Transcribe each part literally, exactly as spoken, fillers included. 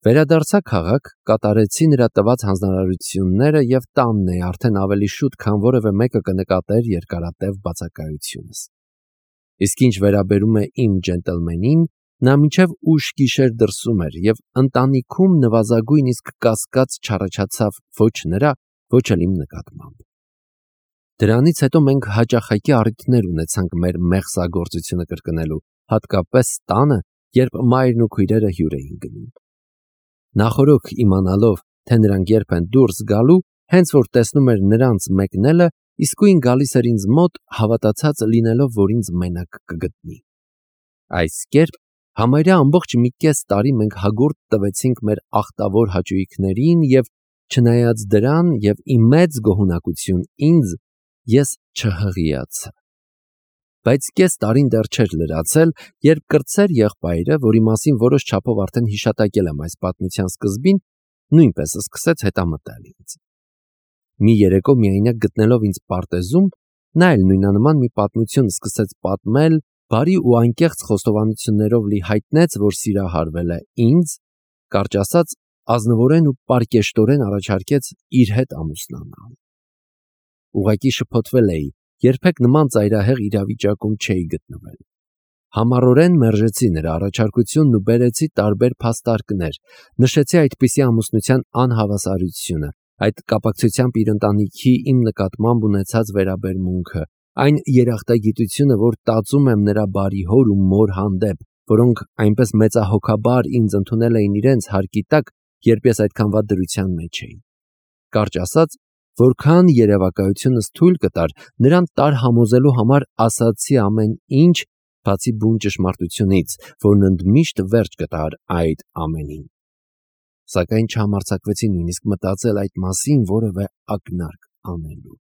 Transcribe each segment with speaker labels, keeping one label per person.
Speaker 1: Վերադարձա քաղաք, կատարեցի նրա տված հանձնարարությունները և տանն էի արդեն ավելի շուտ, քան որևէ մեկը կնկատեր երկարատև բացակայությունս։ Իսկ ինչ վերաբերում է իմ ջենտլմենին, նա մինչև ուշ գիշեր դրսում էր և ընտանիքում նվազագույն իսկ կասկած չառաջացավ ոչ նրա, ոչ էլ իմ նկատմամբ։ Դրանից հետո մենք հաճախակի առիթներ ունեցանք մեր մեղսագործությունը կրկնելու, հատկապես տանը, երբ մայրն ու քույրերը հյուր էին գնում։ Նախօրոք իմանալով, թե նրանք երբ են դուրս գալու, հենց որ տեսնում էր նրանց մեկնելը, իսկույն գալիս էր ինձ մոտ, հավատացած լինելով, որ ինձ մենակ կգտնի։ Այս կերպ համարյա ամբողջ մի կես տարի մենք հագուրդ տվեցինք մեր ախտավոր հաճույքներին և, չնայած դրան և ի մեծ գոհունակություն ինձ, ես չհղիացա։ Բայց կես տարին դեռ չէր լրացել, երբ կրտսեր եղբայրը, որի մասին որոշ չափով արդեն հիշատակել եմ այս պատմության սկզբին, նույնպես սկսեց հետամտել ինձ։ Մի երեկո միայնակ գտնելով ինձ պարտեզում, նա էլ նույնանման մի պատմություն սկսեց պատմել, բարի ու անկեղծ խոստովանություններով լի հայտնեց, որ սիրահարվել է ինձ, կարճ ասած, ազնվորեն ու պարկեշտորեն առաջարկեց իր հետ ամուսնանալ։ Ուղղակի շփոթվել էի, երբեք նման ծայրահեղ իրավիճակում չէի գտնվել։ Համառորեն մերժեցի նրա առաջարկությունն ու բերեցի տարբեր փաստարկներ, նշեցի այդպիսի ամուսնության անհավասարությունը, այդ կապակցությամբ իր ընտանիքի իմ նկատմամբ ունեցած վերաբերմունքը, այն երախտագիտությունը, որ տածում եմ նրա բարի հոր ու մոր հանդեպ, որոնք այնպես մեծահոգաբար ինձ ընդունել էին իրենց հարկի տակ, երբ ես այդքան վատ դրության մեջ էի։ Կարճ ասած, որքան երևակայությունս թույլ կտար, նրան տարհամոզելու համար ասացի ամեն ինչ, բացի բուն ճշմարտությունից, որն ընդմիշտ վերջ կտար այդ ամենին։ Սակայն չհամարձակվեցի նույնիսկ մտածել այդ մասին որևէ ակնարկ անելու։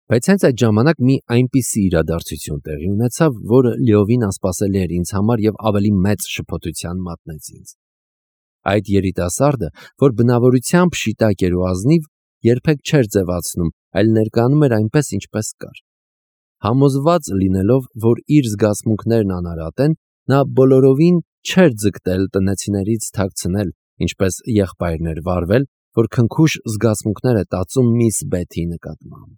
Speaker 1: Բայց հենց այդ ժամանակ մի այնպիսի իրադարձություն տեղի ունեցավ, որը լիովին անսպասելի էր ինձ համար և ավելի մեծ շփոթության մատնեց ինձ։ Այդ երիտասարդը, որ բնավորությամբ շիտակ էր ու ազնիվ, երբեք չէր ձևացնում, այլ ներկանում էր այնպես, ինչպես կար։ Համոզված լինելով, որ իր զգացմունքներն անարատ են, նա բոլորովին չէր ձգտել տնեցիներից թաքցնել, ինչպես եղբայրն էր վարվել, որ քնքուշ զգացմունքներ է տածում միս Բեթի նկատմամբ։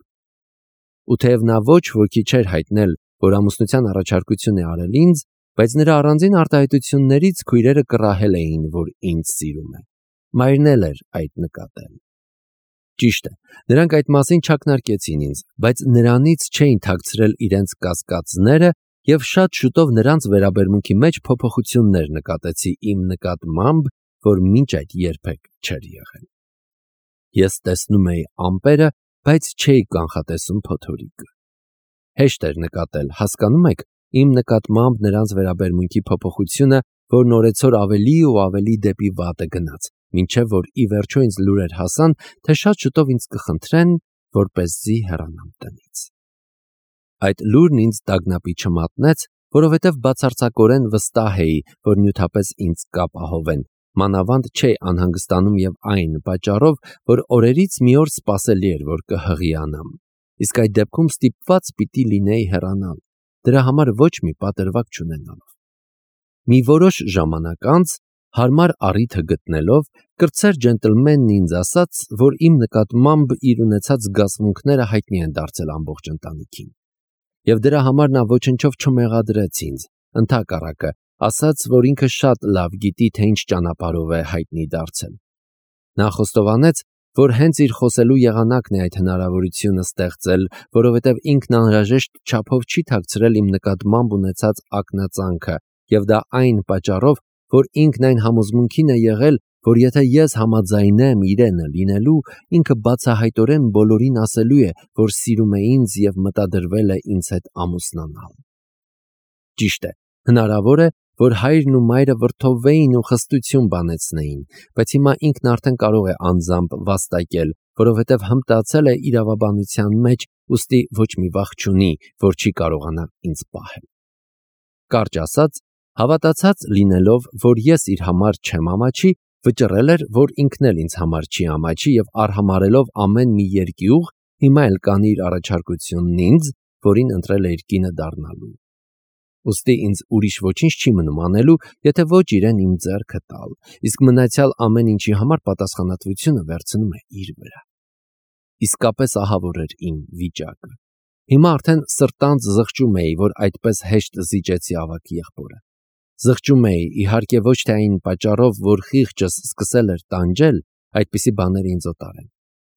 Speaker 1: Ու թեև նա ոչ ոքի չէր հայտնել, որ ամուսնության առաջարկություն է արել ինձ, բայց նրա առանձին արտահայտություններից քույրերը կռահել էին, որ ինձ սիրում է։ Մայրն էլ էր այդ նկատել։ Ճիշտ է, նրանք այդ մասին չակնարկեցին ինձ, բայց նրանից չէին թաքցրել իրենց կասկածները և շատ շուտով նրանց վերաբերմունքի մեջ փոփոխություններ նկատեցի իմ նկատմամբ, որ մինչ այդ երբեք չէր եղել։ Ես տեսնում էի ամպերը, բայց չէի կանխատեսում փոթորիկը։ Հեշտ էր նկատել, հասկանում եք, իմ նկատմամբ նրանց վերաբերմունքի փոփոխությունը, որն օրեցօր ավելի ու ավելի դեպի վատը գնաց, մինչև որ ի վերջո ինձ լուրեր հասան, թե շատ շուտով ինձ կխնդրեն, որպեսզի հեռանամ տնից։ Այդ լուրն ինձ տագնապի չմատնեց, որովհետև բացարձակորեն վստահ էի, որ նյութապես ինձ կապահովեն, մանավանդ չէի անհանգստանում և այն պատճառով, որ օրերից մի օր սպասելի էր, որ կհղիանամ, իսկ այդ դեպքում ստիպված պիտի լինեի հեռանալ, դրա համար ոչ մի պատրվակ չունենալով։ Մի որոշ ժամանակ անց, հարմար առիթը գտնելով, կրտսեր ջենտլմենն ինձ ասաց, որ իմ նկատմամբ իր ունեցած զգացմունքները հայտնի են դարձել ամբողջ ընտանիքին։ Եվ դրա համար նա ոչնչով չմեղադրեց ինձ, ընդհակառակը, ասաց, որ ինքը շատ լավ գիտի, թե ինչ ճանապարհով է հայտնի դարձել։ Նա խոստովանեց, որ հենց իր խոսելու եղանակն է այդ հնարավորությունը ստեղծել, որովհետև ինքն անհրաժեշտ չափով չի թաքցրել իմ նկատմամբ ունեցած ակնածանքը, և դա այն պատճառով, որ ինքն այն համոզմունքին է եղել, որ եթե ես համաձայնեմ իրենը լինելու, ինքը բացահայտորեն բոլորին ասելու է, որ սիրում է ինձ և մտադրվել է ինձ հետ ամուսնանալ։ Ճիշտ է, հնարավոր է, որ հայրն ու մայրը վրդովվեին ու խստություն բանեցնեին, բայց հիմա ինքն արդեն կարող է անձամբ վաստակել, որովհետև հմտացել է իրավաբանության մեջ, ուստի ոչ մի վախ չունի, որ չի կարողանա ինձ պահել։ Կարճ ասած, հավատացած լինելով, որ ես իր համար չեմ ամաչի, վճռել էր, որ ինքն էլ ինձ համար չի ամաչի և արհամարհելով ամեն մի երկյուղ, հիմա էլ կանի իր առաջարկությունն ինձ, որին ընտրել է իր կինը դառնալու։ Ուստի ինձ ուրիշ ոչինչ չի մնում անելու, եթե ոչ իրեն իմ ձեռքը տալ, իսկ մնացյալ ամեն ինչի համար պատասխանատվությունը վերցնում է իր վրա։ Իսկապես ահավոր էր իմ վիճակը։ Հիմա արդեն սրտանց զղջում էի, որ այդպես հեշտ զիջեցի ավագ եղբորը։ Զղջում էի, իհարկե ոչ թե այն պատճառով, որ խիղճս սկսել էր տանջել, այդպիսի բաներ ինձ օտար են։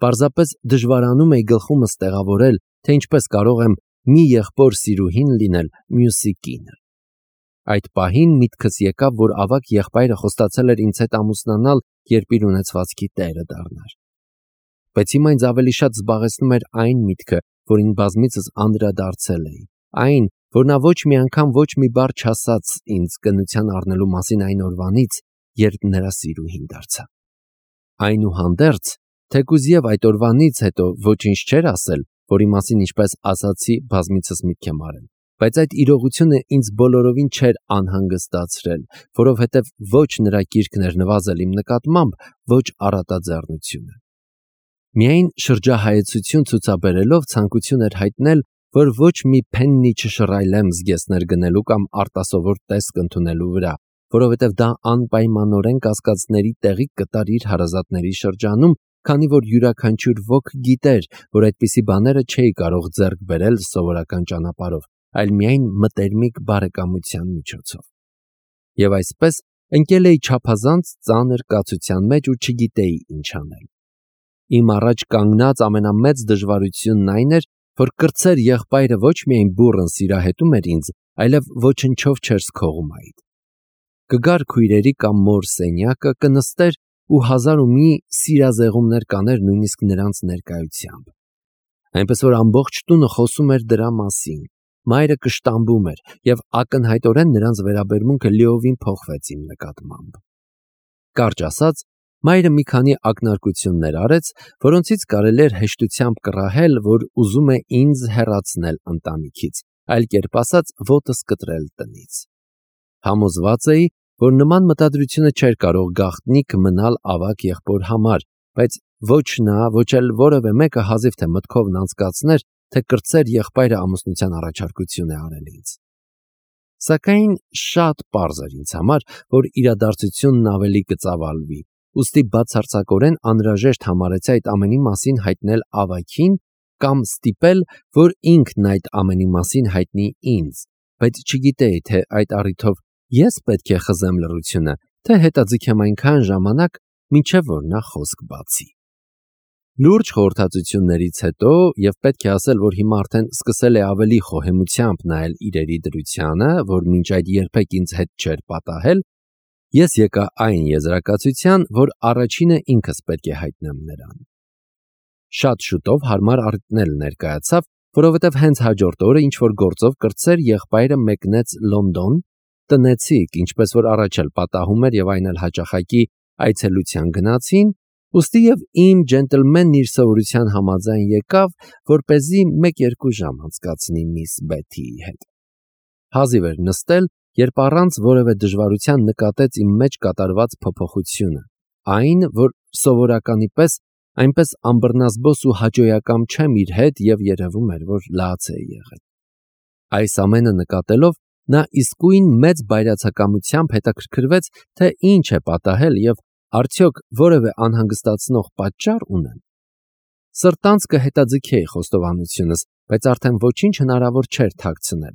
Speaker 1: Պարզապես դժվարանում էի գլխումս տեղավորել, թե ինչպես կարող եմ մի եղբոր սիրուհին լինել մյուսի կինը։ Այդ պահին միտքս եկավ, որ ավագ եղբայրը խոստացել էր ինձ հետ ամուսնանալ, երբ իր ունեցվածքի տերը դառնար։ Բայց հիմա ինձ ավելի շատ զբաղեցնում էր այն միտքը, որին բազմիցս անդրադարձել էի, այն, որ նա ոչ մի անգամ ոչ մի բառ չասաց ինձ կնության առնելու մասին այն օրվանից, երբ նրա սիրուհին դարձա։ Այնուհանդերձ, թեկուզ եւ այդ օրվանից հետո ոչինչ չէր ասել, որի մասին ինչպես ասացի, բազմիցս միտք եմ արել, բայց այդ իրողությունը ինձ բոլորովին չէր անհանգստացրել, որովհետև ոչ նրա կիրքն էր նվազել իմ նկատմամբ, ոչ առատաձեռնությունը։ Միայն շրջահայեցություն ցուցաբերելով ցանկություն էր հայտնել, որ ոչ մի փեննի չշռայլեմ զգեստներ գնելու կամ արտասովոր տեսք ընդունելու վրա, որովհետև դա անպայմանորեն կասկածների տեղիք կտար իր հարազատների շրջանում, քանի որ յուրաքանչյուր ոք գիտեր, որ այդպիսի բաները չէի կարող ձեռք բերել սովորական ճանապարհով, այլ միայն մտերմիկ բարեկամության միջոցով։ Եվ այսպես ընկել էի չափազանց ծանր կացության մեջ ու չգիտեի ինչ անել։ Իմ առաջ կանգնած ամենամեծ դժվարությունն այն էր, որ կրտսեր եղբայրը ոչ միայն բուռն սիրահետում էր ինձ, այլև ոչնչով չէր սքողում այդ։ Կգար քույրերի կամ մոր սենյակը, կնստեր ու հազար ու մի սիրազեղումներ կաներ նույնիսկ նրանց ներկայությամբ։ Այնպես որ ամբողջ տունը խոսում էր դրա մասին, մայրը կշտամբում էր և ակնհայտորեն նրանց վերաբերմունքը լիովին փոխվեց իմ նկատմամբ։ Կարճ ասած, մայրը մի քանի ակնարկություններ արեց, որոնցից կարելի էր հեշտությամբ կռահել, որ ուզում է ինձ հեռացնել ընտանիքից, այլ կերպ ասած, ոտս կտրել տնից։ Համոզված էի, որ նման մտադրությունը չէր կարող գաղտնիք մնալ ավագ եղբոր համար, բայց ոչ նա, ոչ էլ որևէ մեկը հազիվ թե մտքովն անցկացներ, թե կրտսեր եղբայրը ամուսնության առաջարկություն է արել ինձ։ Սակայն շատ պարզ էր ինձ համար, որ իրադարձությունն ավելի կծավալվի, ուստի բացարձակորեն անհրաժեշտ համարեցի այդ ամենի մասին հայտնել ավագին կամ ստիպել, որ ինքն այդ ամենի մասին հայտնի ինձ, բայց չգիտեի, թե այդ առիթով ես պետք է խզեմ լռությունը, թե հետաձգեմ այնքան ժամանակ, մինչև որ նա խոսք բացի։ Լուրջ խորհրդածություններից հետո, և պետք է ասել, որ հիմա արդեն սկսել է ավելի խոհեմությամբ նայել իրերի դրությանը, որ մինչ այդ երբեք ինձ հետ չէր պատահել, ես եկա այն եզրակացության, որ առաջինը ինքս պետք է հայտնեմ նրան։ Շատ շուտով հարմար առիթն էլ ներկայացավ, որովհետև հենց հաջորդ օրը ինչ-որ գործով կրտսեր եղբայրը մեկնեց Լոնդոն, տնեցիք, ինչպես որ առաջ էլ պատահում էր և այն էլ հաճախակի այցելության գնացին, ուստի և իմ ջենտլմենն իր սովորության համաձայն եկավ, որպեսզի մեկ-երկու ժամ անցկացնի միս Բեթիի հետ։ Հազիվ էր նստել, երբ առանց որևէ դժվարության նկատեց իմ մեջ կատարված փոփոխությունը, այն, որ սովորականի պես այնպես անբռնազբոս ու հաճոյակամ չեմ իր հետ և երևում էր, որ լաց է եղել։ Այս ամենը նկատելով, նա իսկույն մեծ բայրացակամությամբ հետաքրքրվեց, թե ինչ է պատահել և արդյոք որևէ անհանգստացնող պատճառ ունեմ։ Սրտանց կհետաձգեի խոստովանությունս, բայց արդեն ոչինչ հնարավոր չէր թաքցնել։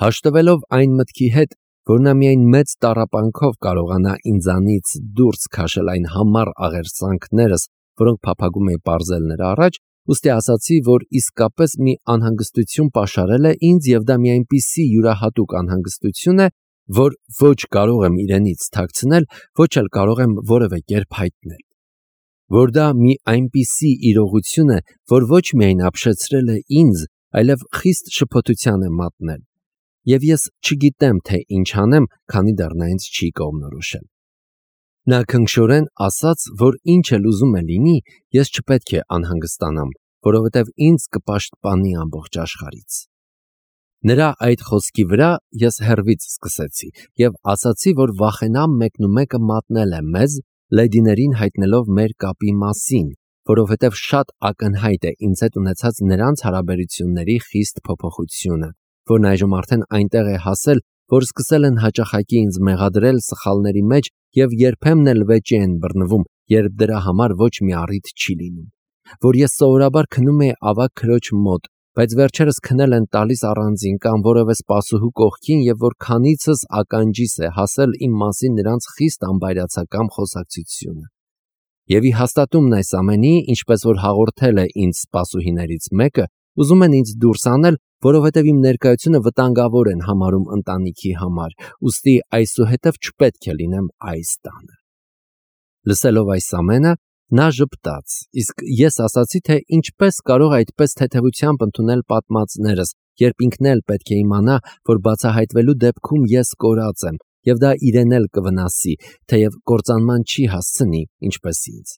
Speaker 1: Հաշտվելով այն մտքի հետ, որ նա միայն մեծ տառապանքով կարողանա ինձանից դուրս քաշել այն համառ աղերսանքներս, որոնք փափագում էի պարզել նրա առաջ, ուստի ասացի, որ իսկապես մի անհանգստություն պաշարել է ինձ և դա մի այնպիսի յուրահատուկ անհանգստություն է, որ ոչ կարող եմ իրենից թաքցնել, ոչ էլ կարող եմ որևէ կերպ հայտնել, որ դա մի այնպիսի իրողություն է, որ ոչ միայն ապշեցրել է ինձ, այլև խիստ շփոթության է մատնել, և ես չգիտեմ, թե ինչ անեմ, քանի դեռ նա ինձ չի կողմնորոշել։ Նա քնքշորեն ասաց, որ ինչ էլ ուզում է լինի, ես չպետք է անհանգստանամ, որովհետև ինձ կպաշտպանի ամբողջ աշխարհից։ Նրա այդ խոսքի վրա ես հեռվից սկսեցի և ասացի, որ վախենամ մեկնումեկը մատնել է մեզ, լեդիներին հայտնելով մեր կապի մասին, որովհետև շատ ակնհայտ է ինձ հետ ունեցած նրանց հարաբերությունների խիստ փոփոխությունը, որն այժմ արդեն այնտեղ է հասել, որ սկսել են հաճախակի ինձ մեղադրել սխալների մեջ և երբեմն էլ վեճի են բռնվում, երբ դրա համար ոչ մի առիթ չի լինում, որ ես սովորաբար քնում էի ավագ քրոջ մոտ, բայց վերջերս քնել են տալիս առանձին կամ որևէ սպասուհու կողքին և որ քանիցս ականջիս է հասել իմ մասին նրանց խիստ անբայրացակամ խոսակցությունը։ Եվ ի հաստատումն այս ամենի, ինչպես որ հաղորդել է ինձ սպասուհիներից մեկը, ուզում են ինձ դուրս անել, որովհետև իմ ներկայությունը վտանգավոր են համարում ընտանիքի համար, ուստի այսուհետև չպետք է լինեմ այս տանը։ Լսելով այս ամենը, նա ժպտաց, իսկ ես ասացի, թե ինչպես կարող այդպես թեթևությամբ ընդունել պատմածներս, երբ ինքն էլ պետք է իմանա, որ բացահայտվելու դեպքում ես կորած եմ, և դա իրեն էլ կվնասի, թեև կործանման չի հասցնի, ինչպես ինձ։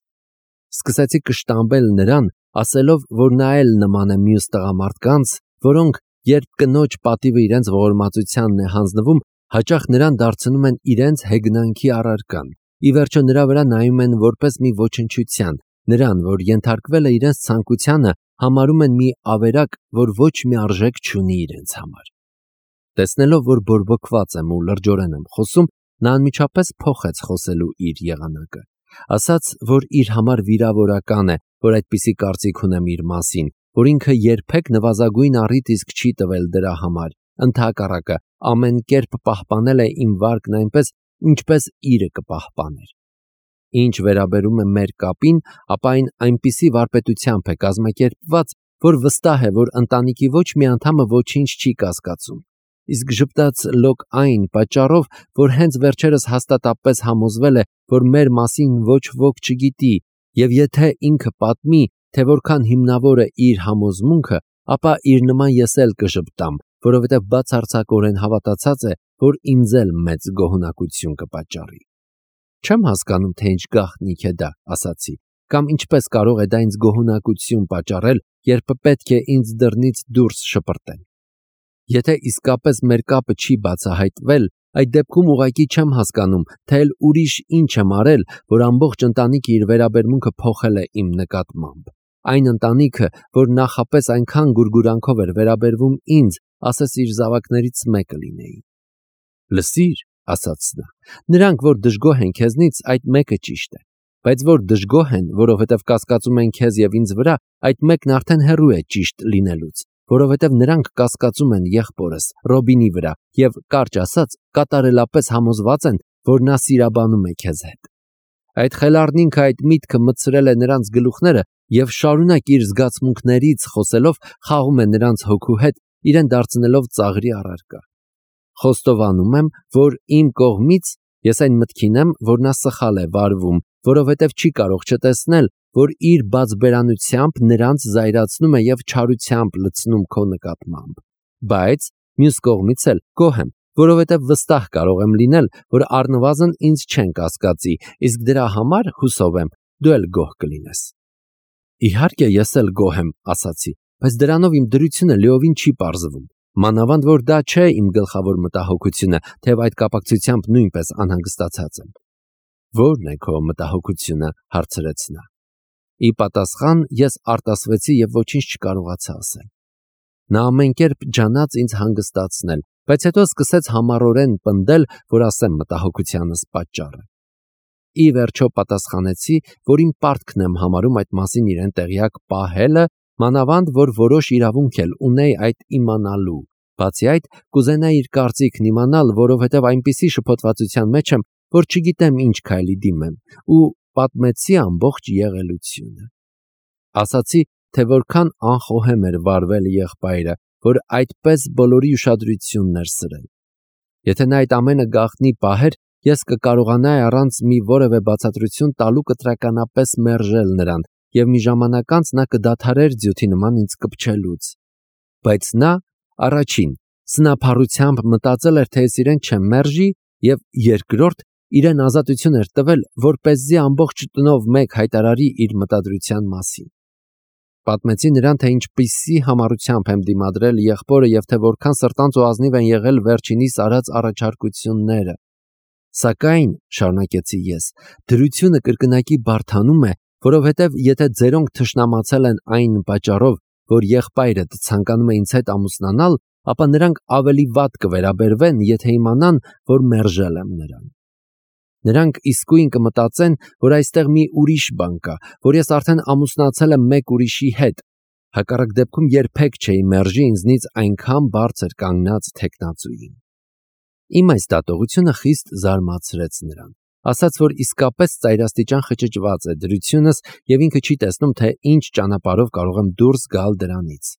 Speaker 1: Սկսեցի կշտամբել նրան, ասելով, որ նա էլ նման է մյուս տղամարդկանց, որոնք, երբ կնոջ պատիվը իրենց ողորմածությանն է հանձնվում, հաճախ նրան դարձնում են իրենց հեգնանքի առարկան, ի վերջո նրա վրա նայում են որպես մի ոչնչության, նրան, որ ենթարկվել է իրենց ցանկությանը, համարում են մի ավերակ, որ ոչ մի արժեք չունի իրենց համար։ Տեսնելով, որ բորբոքված եմ ու լրջորեն եմ խոսում, նա անմիջապես փոխեց խոսելու իր եղանակը, ասաց, որ իր համար վիրավորական է, որ այդպիսի կարծիք ունեմ իր մասին, որ ինքը երբեք նվազագույն առիթ իսկ չի տվել դրա համար, ընդհակառակը ամեն կերպ պահպանել է իմ վարկն այնպես, ինչպես իրը կպահպաներ։ Ինչ վերաբերում է մեր կապին, ապա այն այնպիսի վարպետությամբ է կազմակերպված, որ վստահ է, որ ընտանիքի ոչ մի անդամը ոչինչ չի կասկածում։ Իսկ ժպտաց լոկ այն պատճառով, որ հենց վերջերս հաստատապես համոզվել է, որ մեր մասին ոչ ոք չգիտի, և եթե ինքը պատմի, թե որքան հիմնավոր է իր համոզմունքը, ապա իր նման ես էլ կժպտամ, որովհետև բացարձակորեն հավատացած է, որ ինձ էլ մեծ գոհունակություն կպատճառի։ Չեմ հասկանում, թե ինչ գաղտնիք է դա, ասացի, կամ ինչպես կարող է դա ինձ գոհունակություն պատճառել, երբ պետք է ինձ դռնից դուրս շպրտեն։ Եթե իսկապես մեր կապը չի բացահայտվել, այդ դեպքում ուղղակի չեմ հասկանում, թե էլ ուրիշ ինչ եմ արել, որ ամբողջ ընտանիքը իր վերաբերմունքը փոխել է իմ նկատմամբ։ Այն ընտանիքը, որ նախապես այնքան գուրգուրանքով էր վերաբերվում ինձ, ասես իր զավակներից մեկը լինեի։ Լսիր, ասաց նա, նրանք, որ դժգոհ են քեզնից, այդ մեկը ճիշտ է, բայց որ դժգոհ են, որովհետև կասկածում են քեզ և ինձ վրա, այդ մեկն արդեն հեռու է ճիշտ լինելուց, որովհետև նրանք կասկածում են եղբորս Ռոբինի վրա և, կարճ ասած, կատարելապես համոզված են, որ նա սիրաբանում է քեզ հետ։ Այդ խելառնինքը այդ միտքը մտցրել է նրանց գլուխները և շարունակ իր զգացմունքներից խոսելով խաղում է նրանց հոգու հետ, իրեն դարձնելով ծաղրի առարկա։ Խոստովանում եմ, որ իմ կողմից ես այն մտքին եմ, որ նա սխալ է վարվում, որովհետև չի կարող չտեսնել, որ իր բացբերանությամբ նրանց զայրացնում է և չարությամբ լցնում քո նկատմամբ։ Բայց մյուս կողմից էլ գոհ եմ, որովհետև վստահ կարող եմ լինել, որ առնվազն ինձ չեն կասկածի, իսկ դրա համար, հուսով եմ, դու էլ գոհ կլինես։ Իհարկե ես էլ գոհ եմ, ասացի, բայց դրանով իմ դրությունը լիովին չի պարզվում։ Մանավանդ որ դա չէ իմ գլխավոր մտահոգությունը, թեև այդ կապակցությամբ նույնպես անհանգստացած եմ։ Ո՞րն է քո մտահոգությունը, հարցրեց նա։ Ի պատասխան ես արտասվեցի և ոչինչ չկարողացա ասել։ Նա ամեն կերպ ջանաց ինձ հանգստացնել, բայց հետո սկսեց համառորեն պնդել, որ ասեմ մտահոգությանս պատճառը։ Ի վերջո պատասխանեցի, որ իմ պարտքն եմ համարում այդ մասին իրեն տեղյակ պահելը, մանավանդ որ որոշ իրավունք էլ ունեի այդ իմանալու։ Բացի այդ, կուզենայի իր կարծիքն իմանալ, որովհետև այնպիսի շփոթվածության մեջ եմ, որ չգիտեմ ինչ քայլի դիմեմ, ու պատմեցի ամբողջ եղելությունը։ Ասացի, թե որքան անխոհեմ էր վարվել եղբայրը, որ այդպես բոլորի ուշադրությունն էր սրել։ Եթե նա այդ ամենը գաղտնի պահեր, ես կկարողանայի առանց մի որևէ բացատրություն տալու կտրականապես մերժել նրան, և մի ժամանակ անց նա կդադարեր ձյութի նման ինձ կպչելուց։ Բայց նա, առաջին, սնափառությամբ մտածել էր, թե ես իրեն չեմ մերժի, և երկրորդ, իրեն ազատություն էր տվել, որպեսզի ամբողջ տնով մեկ հայտարարի իր մտադրության մասին։ Պատմեցի նրան, թե ինչպիսի համառությամբ եմ դիմադրել եղբորը և թե որքան սրտանց ու ազնիվ են եղել վերջինիս արած առաջարկությունները։ Սակայն, շարունակեցի ես, դրությունը կրկնակի բարդանում է, որովհետև եթե ձերոնք թշնամացել են այն պատճառով, որ եղբայրդ ցանկանում է ինձ հետ ամուսնանալ, ապա նրանք ավելի վատ կվերաբերվեն, եթե իմանան, որ մերժել եմ նրան։ Նրանք իսկույն կմտածեն, որ այստեղ մի ուրիշ բան կա, որ ես արդեն ամուսնացել եմ մեկ ուրիշի հետ, հակառակ դեպքում երբեք չէի մերժի ինձնից այնքան բարձր կանգնած թեկնածուին։ Իմ այս դատողությունը խիստ զարմացրեց նրան, ասաց, որ իսկապես ծայրաստիճան խճճված է դրությունս և ինքը չի տեսնում, թե ինչ ճանապարհով կարող եմ դուրս գալ դրանից,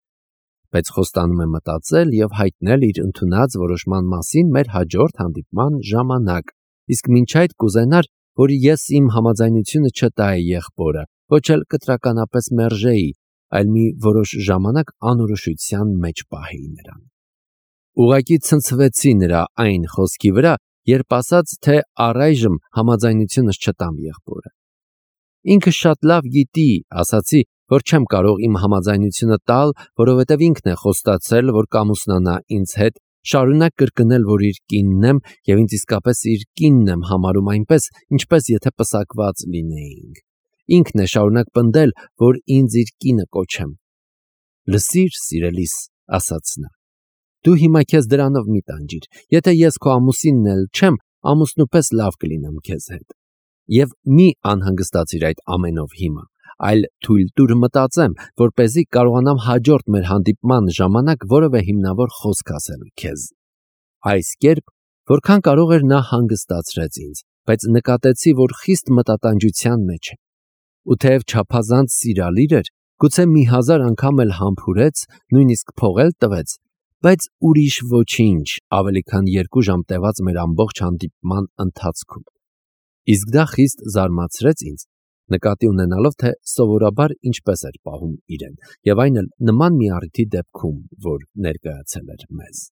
Speaker 1: բայց խոստանում է մտածել և հայտնել իր ընդունած որոշման մասին մեր հաջորդ հանդիպման ժամանակ, իսկ մինչ այդ կուզենար, որ ես իմ համաձայնությունը չտայի եղբորը, ոչ էլ կտրականապես մերժեի, այլ մի որոշ ժամանակ անորոշության մեջ պահեի նրան։ Ուղղակի ցնցվեցի նրա այն խոսքի վրա, երբ ասաց, թե առայժմ համաձայնությունս չտամ եղբորը։ Ինքը շատ լավ գիտի, ասացի, որ չեմ կարող իմ համաձայնությունը տալ, որովհետև ինքն է խոստացել, որ կամուսնանա ինձ հետ, շարունակ կրկնել, որ իր կինն եմ և ինձ իսկապես իր կինն եմ համարում այնպես, ինչպես եթե պսակված լինեինք։ Ինքն է շարունակ պնդել, որ ինձ իր կինը կոչեմ։ Լսիր, սիրելիս, ասաց նա, դու հիմա քեզ դրանով մի տանջիր, եթե ես քո ամուսինն էլ չեմ, ամուսնուպես լավ կլինեմ քեզ հետ։ Եվ մի անհանգստացիր այդ ամենով հիմա, այլ թույլ տուր մտածեմ, որպեսզի կարողանամ հաջորդ մեր հանդիպման ժամանակ որևէ հիմնավոր խոսք ասել քեզ։ Այս կերպ, որքան կարող էր նա հանգստացրեց ինձ, բայց նկատեցի, որ խիստ մտատանջության մեջ է։ Ու թեև չափազանց սիրալիր էր, գուցե մի հազար անգամ էլ համբուրեց, նույնիսկ փող էլ տվեց, բայց ուրիշ ոչինչ, ավելի քան երկու ժամ տևած մեր ամբողջ հանդիպման ընթացքում։ Իսկ դա խիստ զարմացրեց ինձ, նկատի ունենալով, թե սովորաբար ինչպես էր պահում իրեն, և այն էլ նման մի առիթի դեպքում, որ ներկայացել էր մեզ։